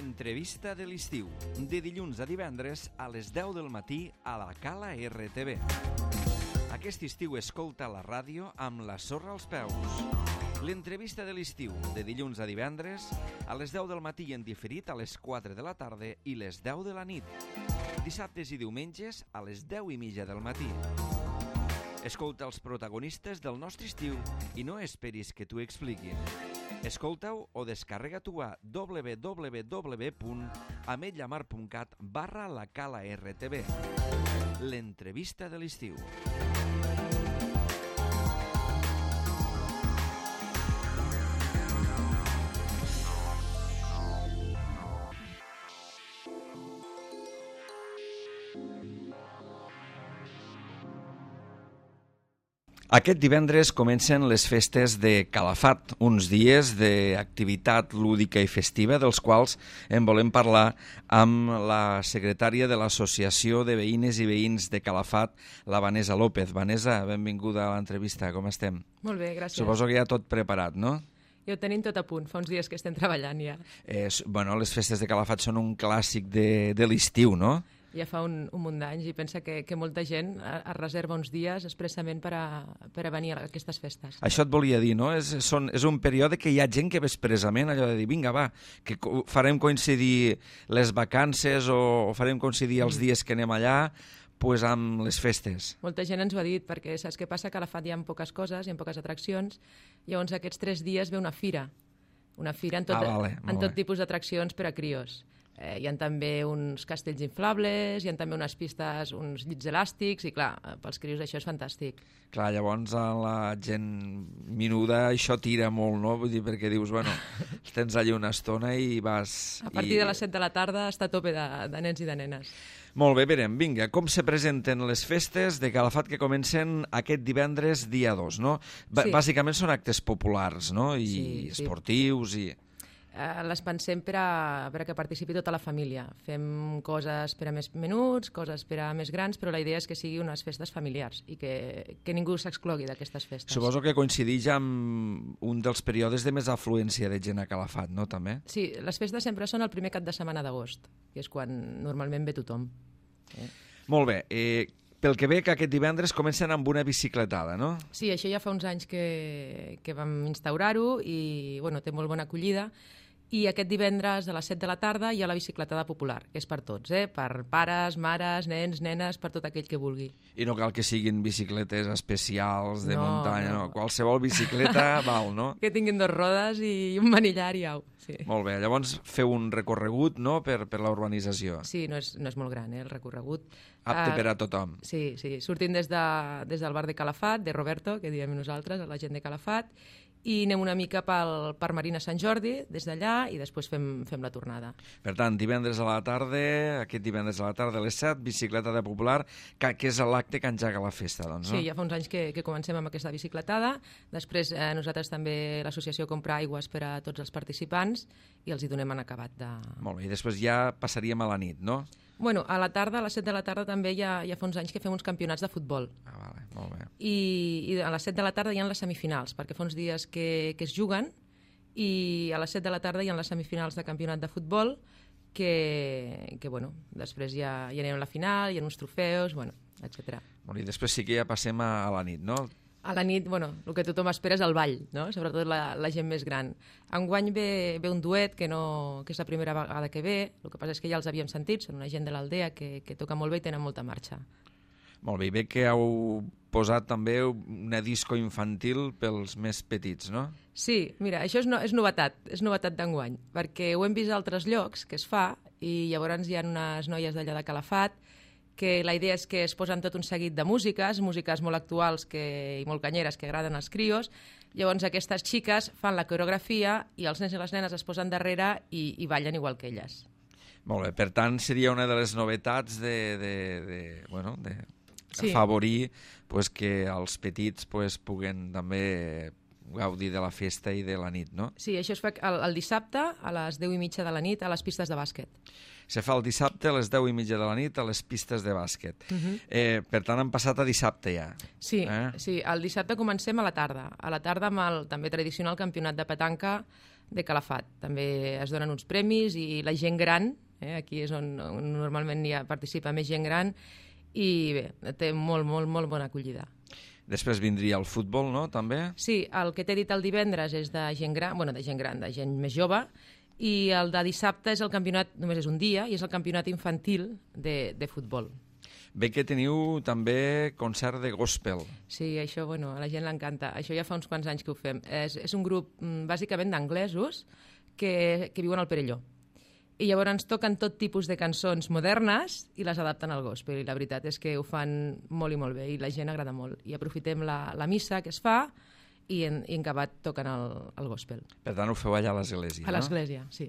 L'entrevista de l'estiu, de dilluns a divendres a les 10 del matí a la Cala RTV. Aquest estiu escolta la ràdio amb la sorra als peus. L'entrevista de l'estiu, de dilluns a divendres a les 10 del matí i en diferit a les 4 de la tarda i les 10 de la nit. Dissabtes i diumenges a les 10:30 del matí. Escolta els protagonistes del nostre estiu i no esperis que t'ho expliquin. Escolta-ho o descarrega-t'ho a www.ametlllamar.cat/la Cala RTV. L'entrevista de l'estiu. Aquest divendres comencen les festes de Calafat, uns dies d'activitat lúdica i festiva, dels quals en volem parlar amb la secretària de l'Associació de Veïnes i Veïns de Calafat, la Vanessa López. Vanessa, benvinguda a l'entrevista, com estem? Molt bé, gràcies. Suposo que ja tot preparat, no? Ja ho tenim tot a punt, fa uns dies que estem treballant ja. Bueno, les festes de Calafat són un clàssic de l'estiu, no? Ja fa un munt d'anys i pensa que molta gent es reserva uns dies expressament per a venir a aquestes festes. Això et volia dir, no? És un període que hi ha gent que ve expressament allò de dir, vinga, va, que farem coincidir les vacances o farem coincidir els dies que anem allà pues, amb les festes. Molta gent ens ho ha dit, perquè saps què passa? Que a Calafat hi ha poques coses, hi ha poques atraccions, llavors aquests 3 dies ve una fira en tot tipus d'atraccions per a crios. Hi ha també uns castells inflables, hi ha també unes pistes, uns llits elàstics, i clar, pels crios això és fantàstic. Clar, llavors a la gent menuda això tira molt, no? Vull dir, perquè dius, bueno, tens allà una estona i vas... A partir de les 7 de la tarda està a tope de nens i de nenes. Molt bé, verem, vinga, com se presenten les festes de Calafat que comencen aquest divendres dia 2, no? Sí. Bàsicament són actes populars, no? I esportius i... Les pensem per a que participi tota la família. Fem coses per a més menuts, coses per a més grans, però la idea és que sigui unes festes familiars i que ningú s'exclogui d'aquestes festes. Suposo que coincideix amb un dels períodes de més afluència de gent a Calafat, no, també? Sí, les festes sempre són el primer cap de setmana d'agost, que és quan normalment ve tothom. Molt bé, pel que ve que aquest divendres comencen amb una bicicletada, no? Sí, això ja fa uns anys que vam instaurar-ho i bueno, té molt bona acollida. I aquest divendres a les 7 de la tarda hi ha la bicicletada popular, que és per tots, per pares, mares, nens, nenes, per tot aquell que vulgui. I no cal que siguin bicicletes especials de muntanya, no. Qualsevol bicicleta val, no? Que tinguin 2 rodes i un manillar i au. Sí. Molt bé, llavors feu un recorregut, no?, per la urbanització. Sí, no és molt gran, el recorregut. Apte per a tothom. Sí, sortim des del bar de Calafat, de Roberto, que diem nosaltres, la gent de Calafat, i anem una mica per Marina Sant Jordi, des d'allà, i després fem la tornada. Per tant, divendres a la tarda, aquest divendres a la tarda a les 7, bicicletada popular, que és l'acte que engega la festa, doncs, no? Sí, ja fa uns anys que comencem amb aquesta bicicletada. Després nosaltres també l'associació compra aigües per a tots els participants i els hi donem en acabat de... Molt bé, i després ja passaríem a la nit, no? Bueno, a la tarda, a les 7 de la tarda també ja fa uns anys que fem uns campionats de futbol. Vale, molt bé. I a les 7 de la tarda hi ha les semifinals, perquè fa uns dies que es juguen, i a les 7 de la tarda hi ha les semifinals de campionat de futbol, que bueno, després ja anem a la final, hi ha uns trofeus, bueno, etc. I després sí que ja passem a la nit, no? A la nit, bueno, el que tothom espera és el ball, no? Sobretot la gent més gran. Enguany ve un duet que és la primera vegada que ve, el que passa és que ja els havíem sentit, són una gent de l'aldea que toca molt bé i tenen molta marxa. Molt bé, i bé que heu posat també una disco infantil pels més petits, no? Sí, mira, això és novetat d'enguany, perquè ho hem vist a altres llocs que es fa i llavors hi ha unes noies d'allà de Calafat que la idea és que es posen tot un seguit de músiques molt actuals i molt canyeres que agraden als crios. Llavors aquestes xiques fan la coreografia i els nens i les nenes es posen darrere i ballen igual que elles. Molt bé, per tant seria una de les novetats de afavorir que els petits puguen també gaudir de la festa i de la nit, no? Sí, això es fa el dissabte a les 10:30 de la nit a les pistes de bàsquet. Se fa el dissabte a les 10:30 de la nit a les pistes de bàsquet. Per tant, han passat a dissabte ja. Sí, sí, el dissabte comencem a la tarda. A la tarda amb el també tradicional campionat de petanca de Calafat. També es donen uns premis i la gent gran, aquí és on normalment participa més gent gran, i bé, té molt bona acollida. Després vindria el futbol, no?, també? Sí, el que t'he dit el divendres és de gent gran, de gent més jove, i el de dissabte és el campionat, només és un dia, i és el campionat infantil de futbol. Bé que teniu també concert de gospel. Sí, això, a la gent l'encanta. Això ja fa uns quants anys que ho fem. És un grup, bàsicament, d'anglesos que viuen al Perelló. I llavors ens toquen tot tipus de cançons modernes i les adapten al gospel. I la veritat és que ho fan molt i molt bé i la gent agrada molt. I aprofitem la missa que es fa i en acabat toquen el gospel. Per tant, ho feu allà a l'església, no? A l'església, sí.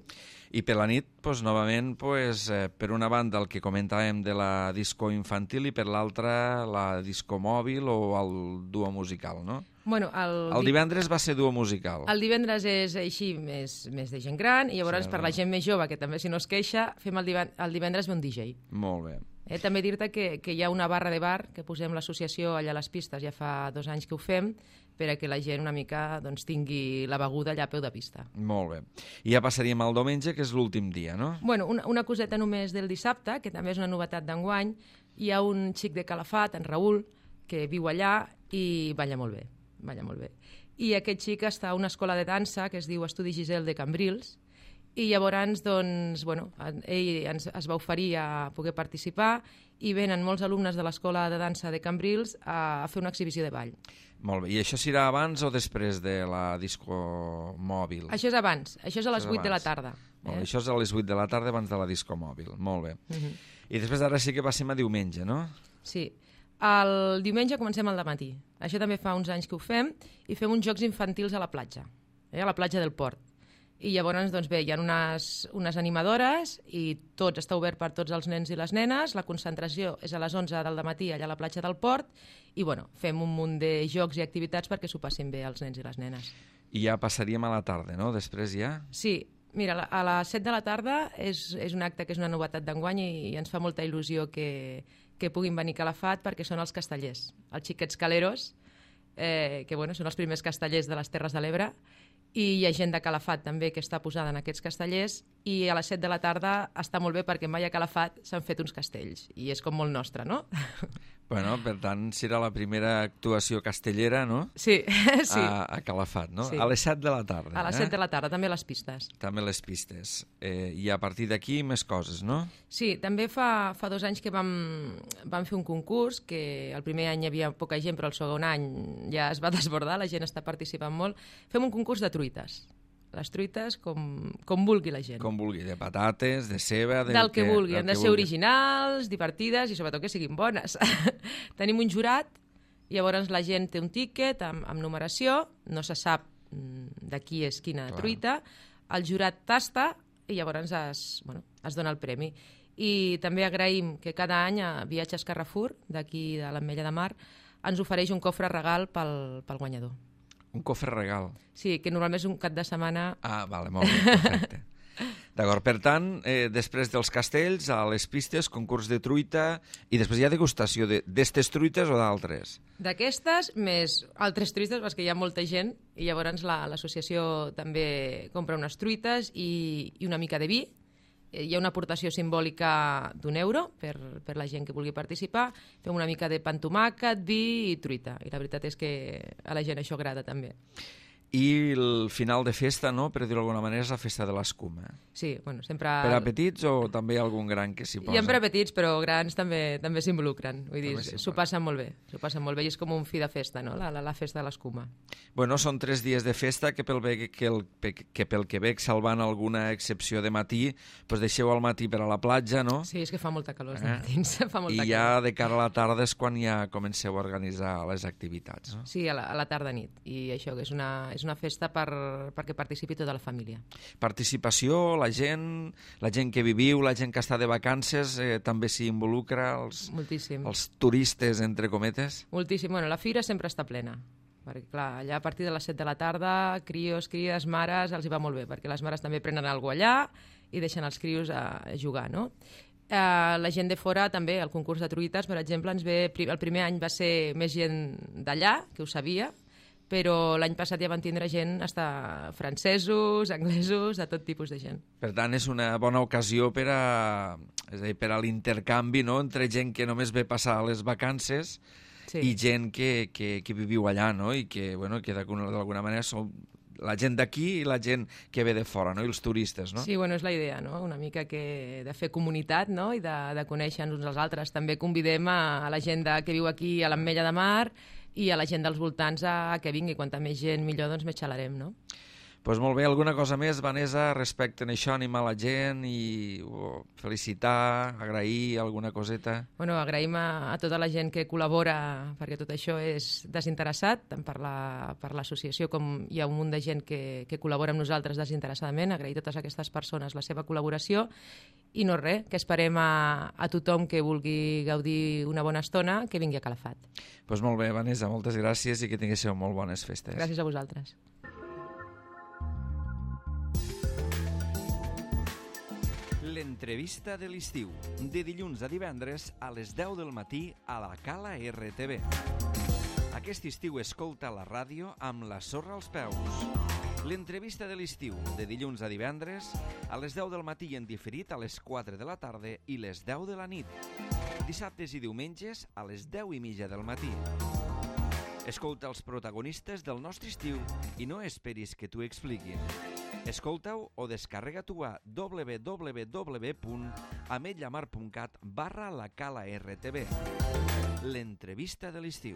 I per la nit, novament, per una banda el que comentàvem de la disco infantil i per l'altra la disco mòbil o el duo musical, no? El divendres va ser duo musical. El divendres és així més de gent gran i llavors per la gent més jove, que també si no es queixa, fem el divendres ve un DJ. Molt bé. També dir-te que hi ha una barra de bar que posem l'associació allà a les pistes, ja fa 2 anys que ho fem, per a que la gent una mica tingui la beguda allà a peu de pista. Molt bé. I ja passaríem al diumenge, que és l'últim dia, no? Una coseta només del dissabte, que també és una novetat d'enguany. Hi ha un xic de Calafat, en Raül, que viu allà i balla molt bé. I aquest xic està a una escola de dansa que es diu Estudi Giselle de Cambrils, i llavors ell es va oferir a poder participar i venen molts alumnes de l'escola de dansa de Cambrils a fer una exhibició de ball. Molt bé. I això serà abans o després de la disco mòbil? Això és abans. Això és a les 8 de la tarda. Això és a les 8 de la tarda abans de la disco mòbil. Molt bé. I després ara sí que passem a diumenge, no? Sí. El diumenge comencem al dematí. Això també fa uns anys que ho fem i fem uns jocs infantils a la platja, a la platja del Port. I llavors, hi ha unes animadores i tot està obert per tots els nens i les nenes. La concentració és a les 11 del dematí allà a la platja del Port i fem un munt de jocs i activitats perquè s'ho passin bé els nens i les nenes. I ja passaríem a la tarda, no? Després ja? Sí. Mira, a les 7 de la tarda és un acte que és una novetat d'enguany i ens fa molta il·lusió que puguin venir a Calafat perquè són els castellers, els xiquets caleros, que són els primers castellers de les Terres de l'Ebre, i hi ha gent de Calafat també que està posada en aquests castellers i a les 7 de la tarda està molt bé perquè mai a Calafat s'han fet uns castells i és com molt nostre, no? Per tant, serà la primera actuació castellera, no? Sí. A Calafat, no? Sí. A les 7 de la tarda. A les 7 de la tarda, també a les pistes. També a les pistes. I a partir d'aquí més coses, no? Sí, també fa 2 anys que vam fer un concurs, que el primer any hi havia poca gent, però el segon any ja es va desbordar, la gent està participant molt. Fem un concurs de truites. Les truites com vulgui la gent. Com vulgui, de patates, de ceba... Del que vulgui. Han de ser originals, divertides i sobretot que siguin bones. Tenim un jurat, llavors la gent té un tíquet amb numeració, no se sap de qui és quina truita, el jurat tasta i llavors es dona el premi. I també agraïm que cada any a Viatges Carrefour, d'aquí de l'Ametlla de Mar, ens ofereix un cofre regal pel guanyador. Un cofre regal. Sí, que normalment és un cap de setmana... Ah, vale, molt bé, perfecte. D'acord, per tant, després dels castells, a les pistes, concurs de truita, i després hi ha degustació d'estes truites o d'altres? D'aquestes, més altres truites, perquè hi ha molta gent, i llavors l'associació també compra unes truites i una mica de vi. Hi ha una aportació simbòlica d'€1 per la gent que vulgui participar. Fem una mica de pa amb tomàquet, vi i truita. I la veritat és que a la gent això agrada també. I el final de festa, no?, per dir-ho d'alguna manera, és la festa de l'escuma. Sí, sempre... Per a petits o també hi ha algun gran que s'hi posa? Hi ha per a petits, però grans també s'involucren. Vull dir, s'ho passen molt bé. S'ho passen molt bé i és com un fi de festa, no?, la festa de l'escuma. Bueno, són 3 dies de festa que pel que veig, salvant alguna excepció de matí, doncs deixeu al matí per a la platja, no? Sí, és que fa molta calor els matins. I ja de cara a la tarda és quan ja comenceu a organitzar les activitats, no? Sí, a la tarda-nit. I això que és una festa perquè participi tota la família. Participació, la gent que viviu, la gent que està de vacances, també s'hi involucra, Moltíssim. Els turistes, entre cometes? Moltíssim. La fira sempre està plena. perquè clar, allà a partir de les 7 de la tarda, crios, cries, mares, els hi va molt bé, perquè les mares també prenen alguna cosa allà i deixen els crios a jugar, no? La gent de fora també, el concurs de truites, per exemple, el primer any va ser més gent d'allà, que ho sabia, però l'any passat ja van tindre gent, hasta francesos, anglesos, de tot tipus de gent. Per tant, és una bona ocasió per a l'intercanvi, no?, entre gent que només ve passar les vacances i gent que viviu allà, no?, i que, bueno, que d'alguna manera són la gent d'aquí i la gent que ve de fora, no?, i els turistes, no? Sí, bueno, és la idea, no?, una mica de fer comunitat, no?, i de conèixer-nos uns als altres. També convidem a la gent que viu aquí a l'Ametlla de Mar i a la gent dels voltants a que vingui. Quanta més gent, millor, doncs més xalarem, no? Doncs molt bé, alguna cosa més, Vanessa, respecte a això, animar la gent i felicitar, agrair alguna coseta? Bueno, agraïm a tota la gent que col·labora, perquè tot això és desinteressat, tant per l'associació com hi ha un munt de gent que col·labora amb nosaltres desinteressadament, agrair a totes aquestes persones la seva col·laboració i no res, que esperem a tothom que vulgui gaudir una bona estona que vingui a Calafat. Doncs molt bé, Vanessa, moltes gràcies i que tinguéssiu molt bones festes. Gràcies a vosaltres. L'entrevista de l'estiu, de dilluns a divendres a les 10 del matí a la Cala RTV. Aquest estiu escolta la ràdio amb la sorra als peus. L'entrevista de l'estiu, de dilluns a divendres a les 10 del matí i en diferit a les 4 de la tarda i les 10 de la nit. Dissabtes i diumenges a les 10:30 del matí. Escolta els protagonistes del nostre estiu i no esperis que t'ho expliquin. Escolta-ho o descarrega-t'ho a www.ametllamar.cat/la Cala RTV. L'entrevista de l'estiu.